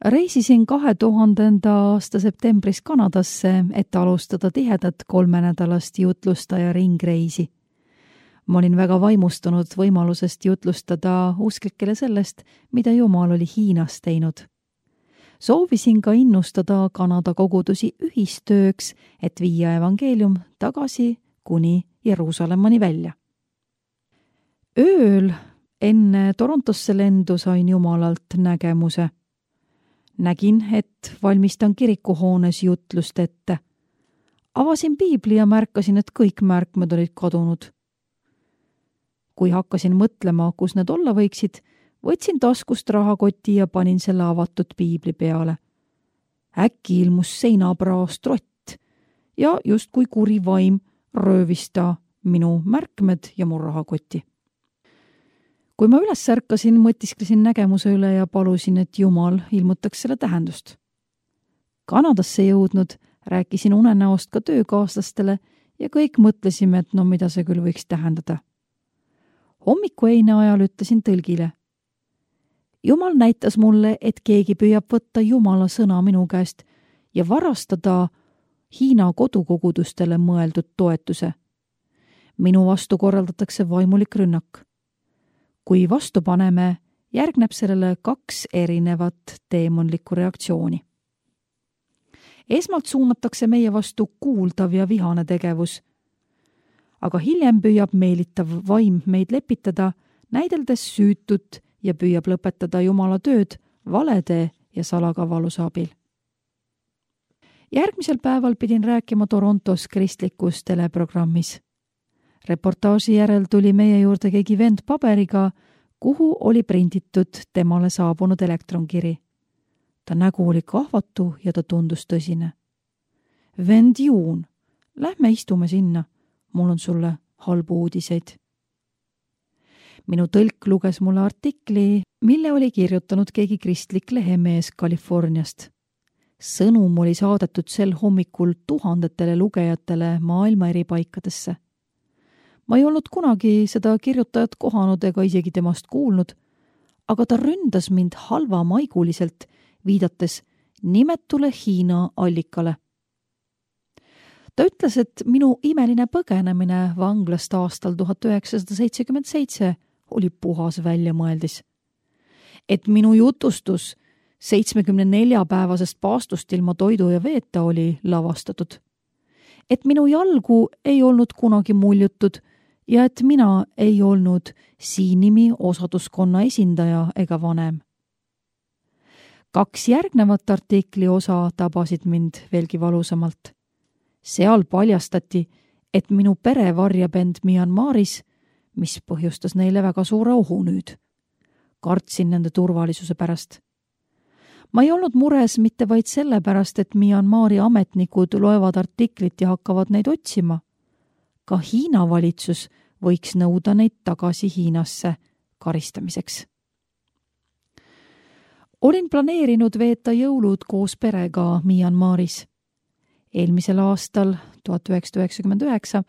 Reisisin 2000. aasta septembris Kanadasse, et alustada tihedat 3-nädalast jutlustaja ringreisi. Ma olin väga vaimustunud võimalusest jutlustada usklikele sellest, mida Jumal oli Hiinas teinud. Soovisin ka innustada Kanada kogudusi ühistööks, et viia evangeelium tagasi kuni Jeruusalemmani välja. Ööl enne Torontosse lendu sain Jumalalt nägemuse. Nägin, et valmistan kirikuhoones jutlust ette. Avasin piibli ja märkasin, et kõik märkmed olid kadunud. Kui hakkasin mõtlema, kus need olla võiksid, võtsin taskust rahakoti ja panin selle avatud piibli peale. Äkki ilmus seinapraost rott ja justkui kuri vaim röövis ta minu märkmed ja mu rahakoti. Kui ma üles ärkasin, mõtisklesin nägemuse üle ja palusin, et Jumal ilmutaks selle tähendust. Kanadasse jõudnud rääkisin unenäost ka töökaaslastele ja kõik mõtlesime, et mida see küll võiks tähendada. Hommikueine ajal ütlesin tõlgile. Jumal näitas mulle, et keegi püüab võtta Jumala sõna minu käest ja varastada Hiina kodukogudustele mõeldud toetuse. Minu vastu korraldatakse vaimulik rünnak. Kui vastu paneme, järgneb sellele 2 erinevat teemonlikku reaktsiooni. Esmalt suunatakse meie vastu kuuldav ja vihane tegevus, aga hiljem püüab meelitav vaim meid lepitada, näideldes süütut ja püüab lõpetada Jumala tööd valede ja salakavaluse abil. Järgmisel päeval pidin rääkima Torontos kristlikus teleprogrammis. Reportaaži järel tuli meie juurde keegi vend paberiga, kuhu oli prinditud temale saabunud elektronkiri. Ta nägu oli kahvatu ja ta tundus tõsine. Vend Juun, lähme istume sinna, mul on sulle halbu uudiseid. Minu tõlk luges mulle artikli, mille oli kirjutanud keegi kristlik lehemees Californiast. Sõnum oli saadetud sel hommikul tuhandetele lugejatele maailma eri paikadesse. Ma ei olnud kunagi seda kirjutajat kohanud ega isegi temast kuulnud, aga ta ründas mind halvamaiguliselt, viidates nimetule Hiina allikale. Ta ütles, et minu imeline põgenemine vanglast aastal 1977 oli puhas väljamõeldis. Et minu jutustus 74-päevasest paastust ilma toidu ja veeta oli lavastatud. Et minu jalgu ei olnud kunagi muljutud ja et mina ei olnud siinimi osaduskonna esindaja ega vanem. 2 järgnevat artikli osa tabasid mind veelgi valusamalt. Seal paljastati, et minu pere varjab end Myanmaris, mis põhjustas neile väga suure ohu nüüd. Kartsin nende turvalisuse pärast. Ma ei olnud mures mitte vaid selle pärast, et Myanmari ametnikud loevad artiklit ja hakkavad neid otsima. Ka Hiina valitsus võiks nõuda neid tagasi Hiinasse karistamiseks. Olin planeerinud veeta jõulud koos perega Myanmaris. Eelmisel aastal, 1999,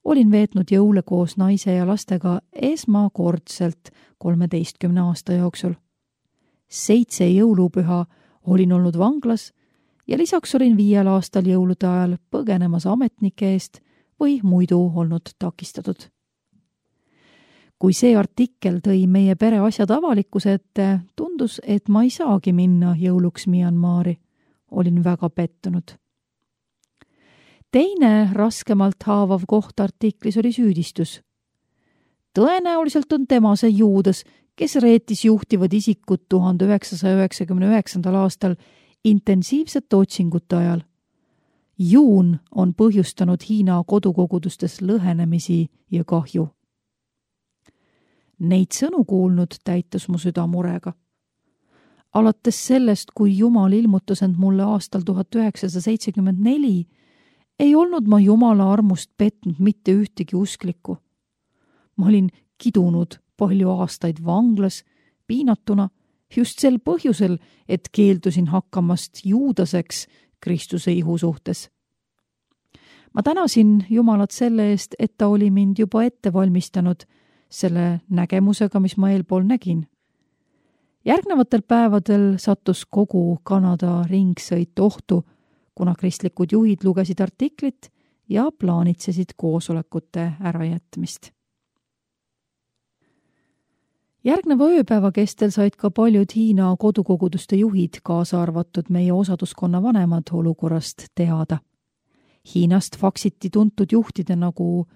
olin veetnud jõule koos naise ja lastega esmakordselt 13 aasta jooksul. 7 jõulupüha olin olnud vanglas ja lisaks olin 5 aastal jõulude ajal põgenemas ametnike eest või muidu olnud takistatud. Kui see artikkel tõi meie pere asjad avalikkuse ette, tundus, et ma ei saagi minna jõuluks Myanmari. Olin väga pettunud. Teine raskemalt haavav koht artiklis oli süüdistus. Tõenäoliselt on tema see Juudas, kes reetis juhtivad isikud 1999. aastal intensiivsete otsingute ajal. Juun on põhjustanud Hiina kodukogudustes lõhenemisi ja kahju. Neid sõnu kuulnud täitus mu süda murega. Alates sellest, kui Jumal ilmutas end mulle aastal 1974, ei olnud ma Jumala armust petnud mitte ühtegi usklikku. Ma olin kidunud palju aastaid vanglas, piinatuna, just sel põhjusel, et keeldusin hakkamast juudaseks Kristuse ihu suhtes. Ma tänasin Jumalat selle eest, et ta oli mind juba ette valmistanud selle nägemusega, mis ma eelpool nägin. Järgnevatel päevadel sattus kogu Kanada ringsõit ohtu, kuna kristlikud juhid lugesid artiklit ja plaanitsesid koosolekute ärajätmist. Järgneva ööpäeva kestel said ka paljud Hiina kodukoguduste juhid, kaasa arvatud meie osaduskonna vanemad, olukorrast teada. Hiinast faksiti tuntud juhtide nagu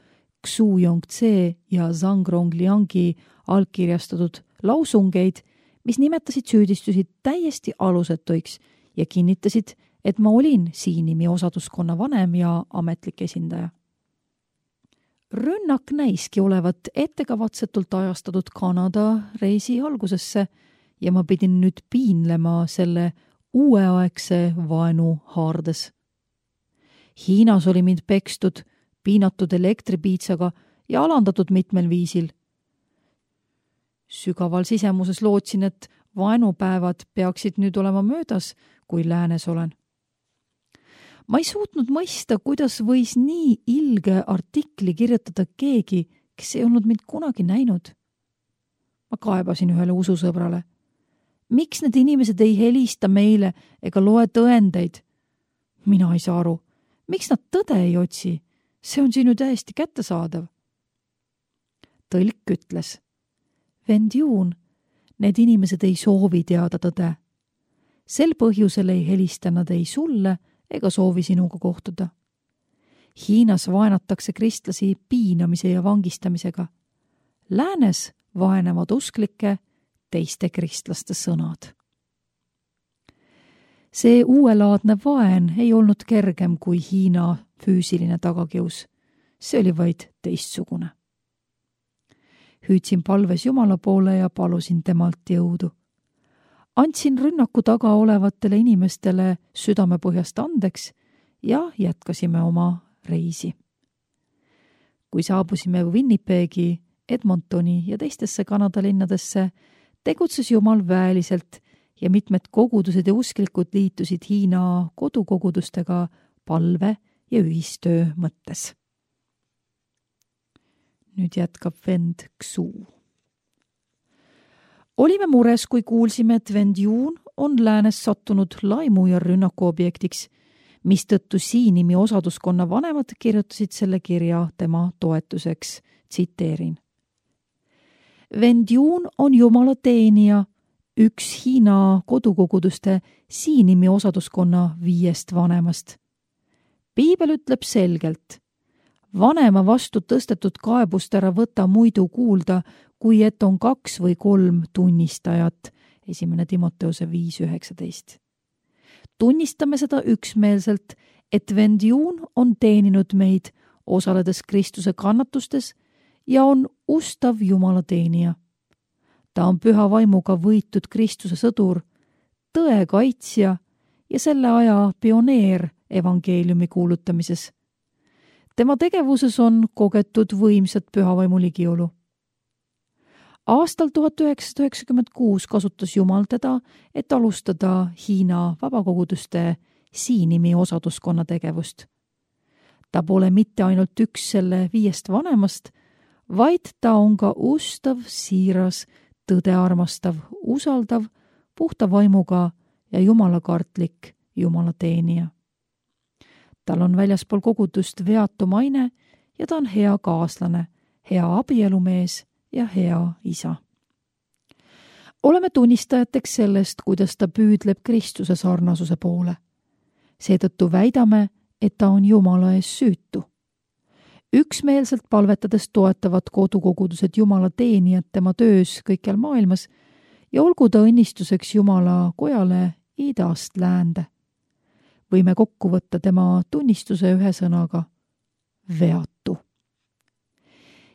Xu Yongtse ja Zhang Rongliangi allkirjastatud lausungeid, mis nimetasid süüdistusi täiesti alusetuiks ja kinnitasid, et ma olin Siinimi osaduskonna vanem ja ametlik esindaja. Rünnak näiski olevat ettekavatsetult ajastatud Kanada reisi algusesse ja ma pidin nüüd piinlema selle uueaegse vaenu haardes. Hiinas oli mind pekstud, piinatud elektripiitsaga ja alandatud mitmel viisil. Sügaval sisemuses lootsin, et vaenupäevad peaksid nüüd olema möödas, kui läänes olen. Ma ei suutnud mõista, kuidas võis nii ilge artikli kirjutada keegi, kes ei olnud mind kunagi näinud. Ma kaebasin ühele ususõbrale. Miks need inimesed ei helista meile ega loe tõendeid? Mina ei saa aru. Miks nad tõde ei otsi? See on siin ju täiesti kättesaadav. Tõlk ütles. Vend Juun, need inimesed ei soovi teada tõde. Sel põhjusel ei helista nad ei sulle ega soovi sinuga kohtuda. Hiinas vaenatakse kristlasi piinamise ja vangistamisega. Läänes vaenavad usklike teiste kristlaste sõnad. See uuelaadne vaen ei olnud kergem kui Hiina füüsiline tagakius. See oli vaid teistsugune. Hüüdsin palves Jumala poole ja palusin temalt jõudu. Andsin rünnaku taga olevatele inimestele südamepõhjast andeks ja jätkasime oma reisi. Kui saabusime Winnipegi, Edmontoni ja teistesse Kanada linnadesse, tegutses Jumal väeliselt ja mitmed kogudused ja usklikud liitusid Hiina kodukogudustega palve ja ühistöö mõttes. Nüüd jätkab vend Xu. Olime mures, kui kuulsime, et vend Juun on läänes sattunud laimu ja rünnaku objektiks, mistõttu Siinimi osaduskonna vanemad kirjutasid selle kirja tema toetuseks, tsiteerin. Vend Juun on Jumala teenija, üks Hiina kodukoguduste Siinimi osaduskonna 5 vanemast. Piibel ütleb selgelt, vanema vastu tõstetud kaebust ära võta muidu kuulda, kui et on 2 või 3 tunnistajat, 1. Timoteuse 5:19. Tunnistame seda üksmeelselt, et vend Juun on teeninud meid, osaledes Kristuse kannatustes ja on ustav Jumala teenija. Ta on püha vaimuga võitud Kristuse sõdur, tõe kaitsja ja selle aja pioneer evangeeliumi kuulutamises. Tema tegevuses on kogetud võimsat pühavaimu ligiolu. Aastal 1996 kasutas Jumal teda, et alustada Hiina vabakoguduste Siinimi osaduskonna tegevust. Ta pole mitte ainult üks selle 5 vanemast, vaid ta on ka ustav, siiras, tõde armastav, usaldav, puhta vaimuga ja jumalakartlik Jumala teenija. Tal on väljaspool kogudust veatu maine ja ta on hea kaaslane, hea abielumees ja hea isa. Oleme tunnistajateks sellest, kuidas ta püüdleb Kristuse sarnasuse poole. Seetõttu väidame, et ta on Jumala ees süütu. Üksmeelselt palvetades toetavad kodukogudused Jumala teenijad tema töös kõikjal maailmas ja olgu ta õnnistuseks Jumala kojale idast läände. Võime kokku võtta tema tunnistuse ühe sõnaga veatu.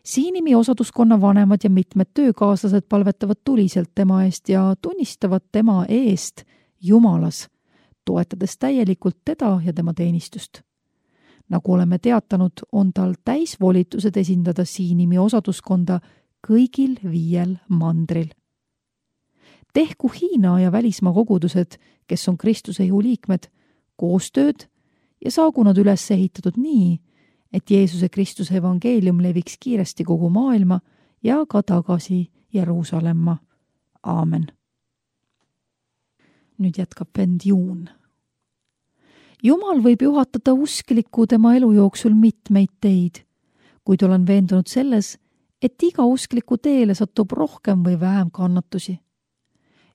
Siinimi osaduskonna vanemad ja mitmed töökaaslased palvetavad tuliselt tema eest ja tunnistavad tema eest Jumalas, toetades täielikult teda ja tema teenistust. Nagu oleme teatanud, on tal täisvolitused esindada Siinimi osaduskonda kõigil 5 mandril. Tehku Hiina ja välismaa kogudused, kes on Kristuse ihu liikmed, koostööd ja saagu nad üles ehitatud nii, et Jeesuse Kristuse evangeelium leviks kiiresti kogu maailma ja ka tagasi Jeruusalemma. Aamen. nüüd jätkab vend Juun. Jumal võib juhatada usklikku tema elu jooksul mitmeid teid, kuid olen veendunud selles, et iga uskliku teele satub rohkem või vähem kannatusi.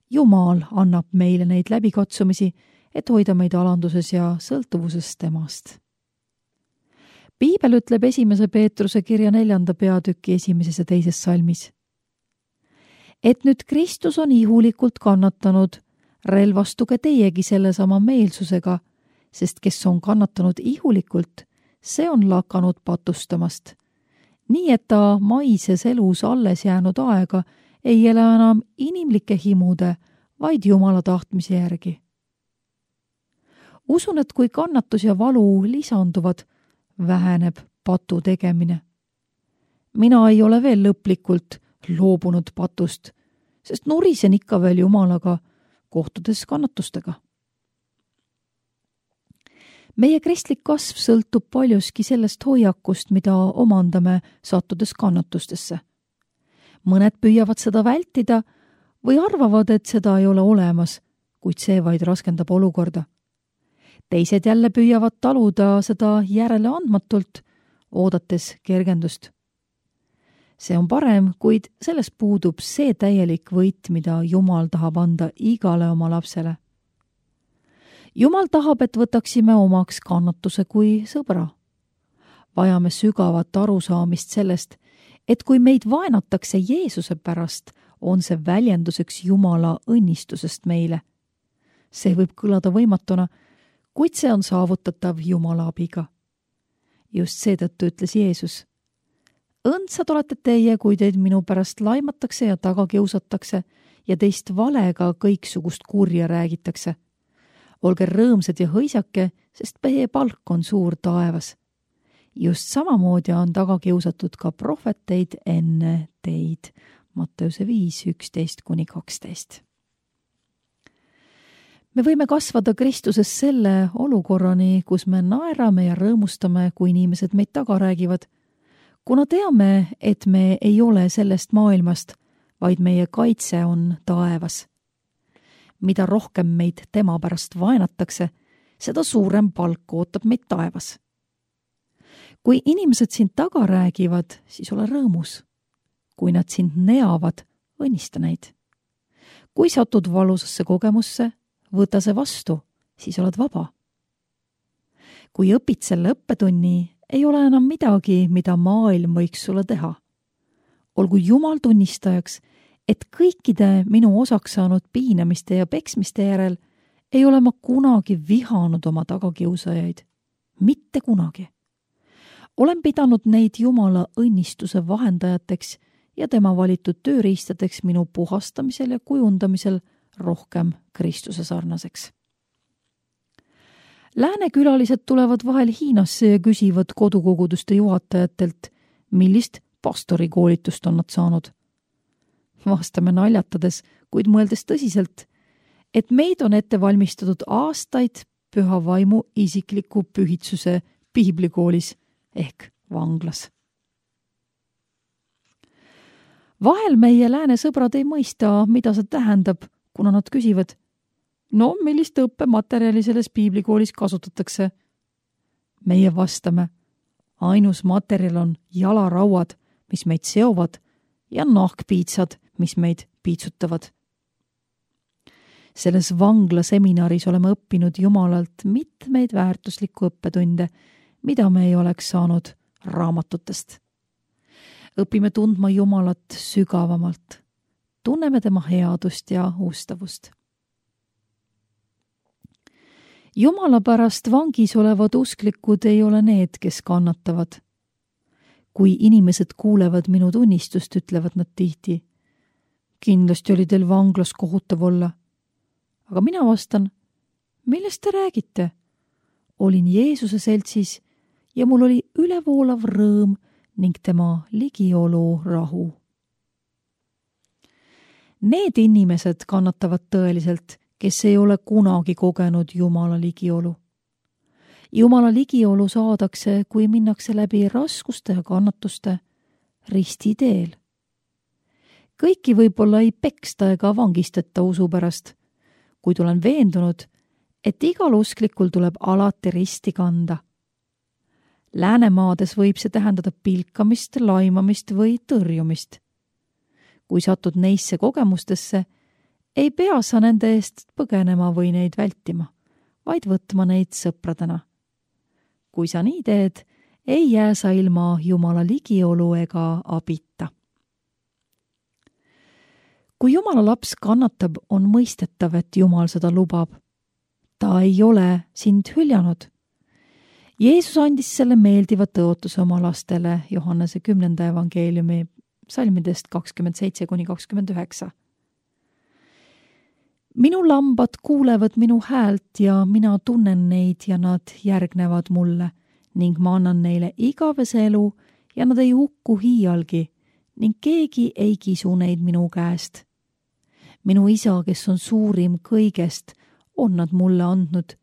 Jumal annab meile neid läbikatsumisi, et hoida meid alanduses ja sõltuvuses temast. Piibel ütleb 1. Peetruse kirja 4. peatüki 1. ja 2. salmis. Et nüüd Kristus on ihulikult kannatanud, relvastuge teiegi sellesama meelsusega, sest kes on kannatanud ihulikult, see on lakanud patustamast. Nii et ta maises elus alles jäänud aega ei ele enam inimlike himude, vaid Jumala tahtmise järgi. Usun, et kui kannatus ja valu lisanduvad, väheneb patu tegemine. Mina ei ole veel lõplikult loobunud patust, sest nurisen ikka veel Jumalaga, kohtudes kannatustega. Meie kristlik kasv sõltub paljuski sellest hoiakust, mida omandame sattudes kannatustesse. Mõned püüavad seda vältida või arvavad, et seda ei ole olemas, kuid see vaid raskendab olukorda. Teised jälle püüavad taluda seda järele andmatult, oodates kergendust. See on parem, kuid selles puudub see täielik võit, mida Jumal tahab anda igale oma lapsele. Jumal tahab, et võtaksime omaks kannatuse kui sõbra. Vajame sügavat arusaamist sellest, et kui meid vaenatakse Jeesuse pärast, on see väljenduseks Jumala õnnistusest meile. See võib kõlada võimatuna, kuid see on saavutatav Jumala abiga. Just seetõttu ütles Jeesus: õndsad olete teie, kui teid minu pärast laimatakse ja taga kiusatakse ja teist valega kõiksugust kurja räägitakse. Olge rõõmsad ja hõisake, sest meie palk on suur taevas. Just samamoodi on taga kiusatud ka prohveteid enne teid. Matteuse 5:11-12. Me võime kasvada Kristuses selle olukorrani, kus me naerame ja rõõmustame, kui inimesed meid taga räägivad, kuna teame, et me ei ole sellest maailmast, vaid meie kaitse on taevas. Mida rohkem meid tema pärast vaenatakse, seda suurem palk ootab meid taevas. Kui inimesed sind taga räägivad, siis ole rõõmus. Kui nad sind neavad, õnnista neid. Kui satud valusasse kogemusse, võta see vastu, siis oled vaba. Kui õpid selle õppetunni, ei ole enam midagi, mida maailm võiks sulle teha. Olgu Jumal tunnistajaks, et kõikide minu osaks saanud piinamiste ja peksmiste järel ei ole ma kunagi vihanud oma tagakiusajaid. Mitte kunagi. Olen pidanud neid Jumala õnnistuse vahendajateks ja tema valitud tööriistadeks minu puhastamisel ja kujundamisel rohkem Kristuse sarnaseks. Lääne külalised tulevad vahel Hiinasse ja küsivad kodukoguduste juhatajatelt, millist pastorikoolitust on nad saanud. Vastame naljatades, kuid mõeldes tõsiselt, et meid on ette valmistatud aastaid püha vaimu isikliku pühitsuse piiblikoolis ehk vanglas. Vahel meie lääne sõbrad ei mõista, mida see tähendab, kuna nad küsivad, no millist õppematerjali selles piiblikoolis kasutatakse? Meie vastame, ainus materjal on jalarauad, mis meid seovad, ja nahkpiitsad, mis meid piitsutavad. Selles vanglaseminaris oleme õppinud Jumalalt mitmeid väärtuslikku õppetunde, mida me ei oleks saanud raamatutest. Õpime tundma Jumalat sügavamalt. Tunneme tema headust ja ustavust. Jumala pärast vangis olevad usklikud ei ole need, kes kannatavad. Kui inimesed kuulevad minu tunnistust, ütlevad nad tihti, kindlasti oli teil vanglas kohutav olla. Aga mina vastan, millest te räägite? Olin Jeesuse seltsis ja mul oli ülevoolav rõõm ning tema ligiolu rahu. Need inimesed kannatavad tõeliselt, kes ei ole kunagi kogenud Jumala ligiolu. Jumala ligiolu saadakse, kui minnakse läbi raskuste ja kannatuste ristiteel. Kõiki võib-olla ei peksta ega vangistata usu pärast, kuid olen veendunud, et igal usklikul tuleb alati risti kanda. Läänemaades võib see tähendada pilkamist, laimamist või tõrjumist. Kui satud neisse kogemustesse, ei pea sa nende eest põgenema või neid vältima, vaid võtma neid sõpradena. Kui sa nii teed, ei jää sa ilma Jumala ligiolu ega abita. Kui Jumala laps kannatab, on mõistetav, et Jumal seda lubab. Ta ei ole sind hüljanud. Jeesus andis selle meeldiva tõotuse oma lastele Johannese 10. evangeeliumi salmidest 27–29. Minu lambad kuulevad minu häält ja mina tunnen neid ja nad järgnevad mulle ning ma annan neile igavese elu ja nad ei hukku hiialgi ning keegi ei kisu neid minu käest. Minu isa, kes on suurim kõigest, on nad mulle andnud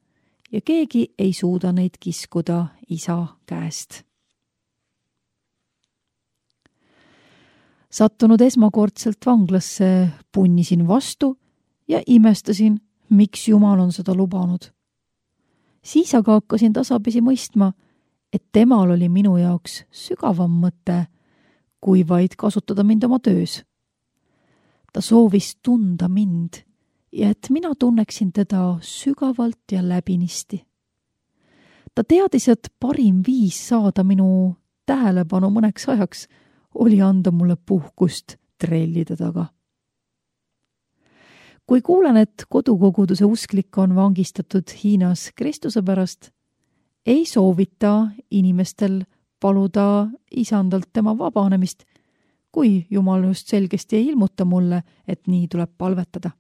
ja keegi ei suuda neid kiskuda isa käest. Sattunud esmakordselt vanglasse, punnisin vastu ja imestasin, miks Jumal on seda lubanud. Siis aga hakkasin tasapisi mõistma, et temal oli minu jaoks sügavam mõte, kui vaid kasutada mind oma töös. Ta soovis tunda mind ja et mina tunneksin teda sügavalt ja läbinisti. Ta teadis, et parim viis saada minu tähelepanu mõneks ajaks oli anda mulle puhkust trellide taga. Kui kuulen, et kodukoguduse usklik on vangistatud Hiinas Kristuse pärast, ei soovita inimestel paluda isandalt tema vabanemist, kui Jumal just selgesti ei ilmuta mulle, et nii tuleb palvetada.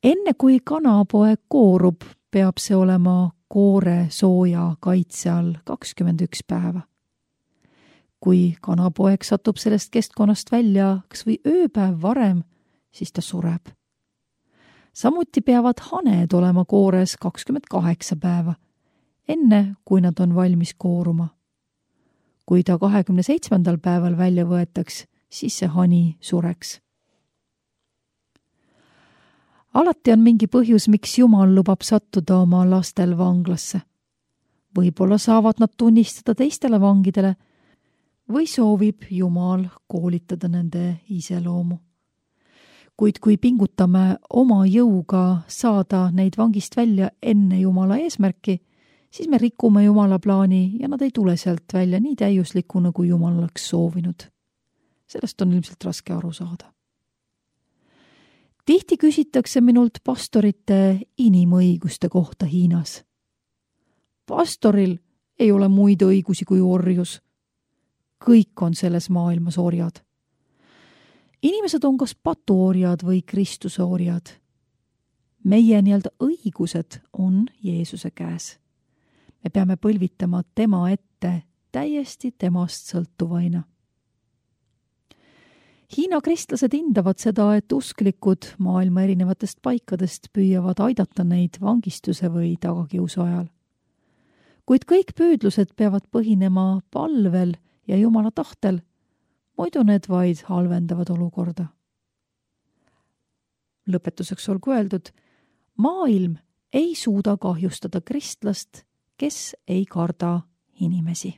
Enne kui kanapoeg koorub, peab see olema koore sooja kaitse all 21 päeva. Kui kanapoeg satub sellest keskkonnast välja kas või ööpäev varem, siis ta sureb. Samuti peavad haned olema koores 28 päeva, enne kui nad on valmis kooruma. Kui ta 27. päeval välja võetaks, siis see hani sureks. Alati on mingi põhjus, miks Jumal lubab sattuda oma lastel vanglasse. Võib-olla saavad nad tunnistada teistele vangidele või soovib Jumal koolitada nende iseloomu. Kuid kui pingutame oma jõuga saada neid vangist välja enne Jumala eesmärki, siis me rikume Jumala plaani ja nad ei tule sealt välja nii täiuslikuna, kui Jumal oleks soovinud. Sellest on ilmselt raske aru saada. Tihti küsitakse minult pastorite inimõiguste kohta Hiinas. Pastoril ei ole muid õigusi kui orjus. Kõik on selles maailmas orjad. Inimesed on kas patuorjad või Kristuse orjad. Meie õigused on Jeesuse käes. Me peame põlvitama tema ette täiesti temast sõltuvaina. Hiina kristlased hindavad seda, et usklikud maailma erinevatest paikadest püüavad aidata neid vangistuse või tagakiusu ajal. Kuid kõik püüdlused peavad põhinema palvel ja Jumala tahtel, muidu need vaid halvendavad olukorda. Lõpetuseks olgu öeldud, maailm ei suuda kahjustada kristlast, kes ei karda inimesi.